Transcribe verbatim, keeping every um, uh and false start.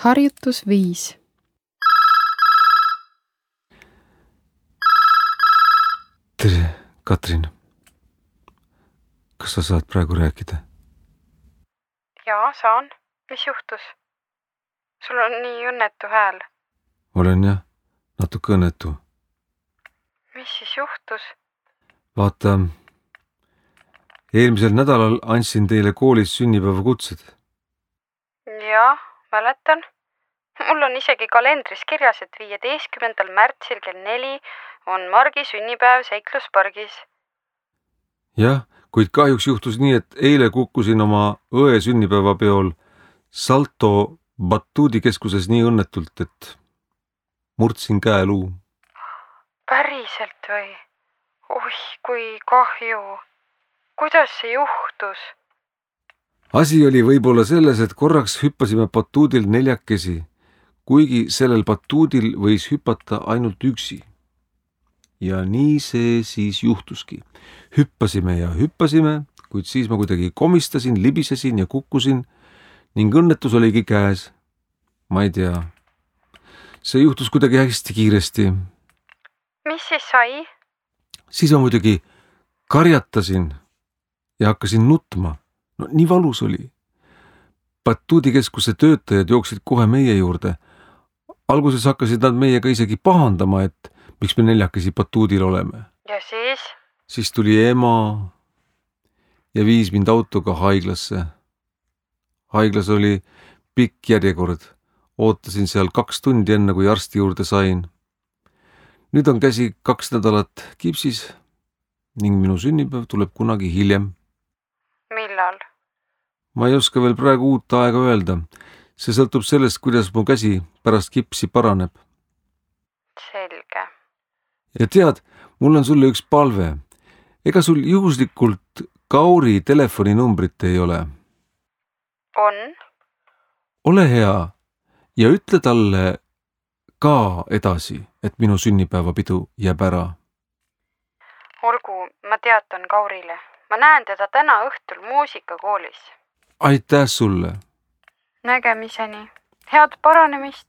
Harjutus viis. Tere, Katrin. Kas sa saad praegu rääkida? Jaa, saan. Mis juhtus? Sul on nii õnnetu hääl. Olen jah, natuke õnnetu. Mis siis juhtus? Vaata, eelmisel nädalal andsin teile koolis sünnipäevakutsed. Jaa, mäletan. Mul on isegi kalendris kirjas, et viieteistkümnendal märtsil kell neli on Margi sünnipäev Seikluspargis. Jah, kuid kahjuks juhtus nii, et eile kukkusin oma õe sünnipäevapeol Salto batuudikeskuses nii õnnetult, et murdsin käeluu. Päriselt või? Oih, kui kahju. Kuidas see juhtus? Asi oli võib-olla selles, et korraks hüppasime batuudil neljakesi, kuigi sellel batuudil võis hüpata ainult üksi. Ja nii see siis juhtuski. Hüppasime ja hüppasime, kuid siis ma kuidagi komistasin, libisesin ja kukkusin ning õnnetus oligi käes. Ma ei tea. See juhtus kuidagi hästi kiiresti. Mis siis sai? Siis ma muidugi karjatasin ja hakkasin nutma. No nii valus oli. Batuudikeskuse töötajad jooksid kohe meie juurde. Alguses hakkasid nad meiega isegi pahandama, et miks me neljakesi batuudil oleme. Ja siis? Siis tuli ema ja viis mind autoga haiglasse. Haiglas oli pikk järjekord. Ootasin seal kaks tundi enne, kui arsti juurde sain. Nüüd on käsi kaks nädalat kipsis ning minu sünnipäev tuleb kunagi hiljem. Millal? Ma ei oska veel praegu uut aega öelda. See sõltub sellest, kuidas mu käsi pärast kipsi paraneb. Selge. Ja tead, mul on sulle üks palve. Ega sul juhuslikult Kauri telefoninumbrit ei ole? On? Ole hea ja ütle talle ka edasi, et minu sünnipäevapidu jääb ära. Olgu, ma teatan Kaurile. Ma näen teda täna õhtul muusikakoolis. Aitäh sulle! Nägemiseni. Head paranemist!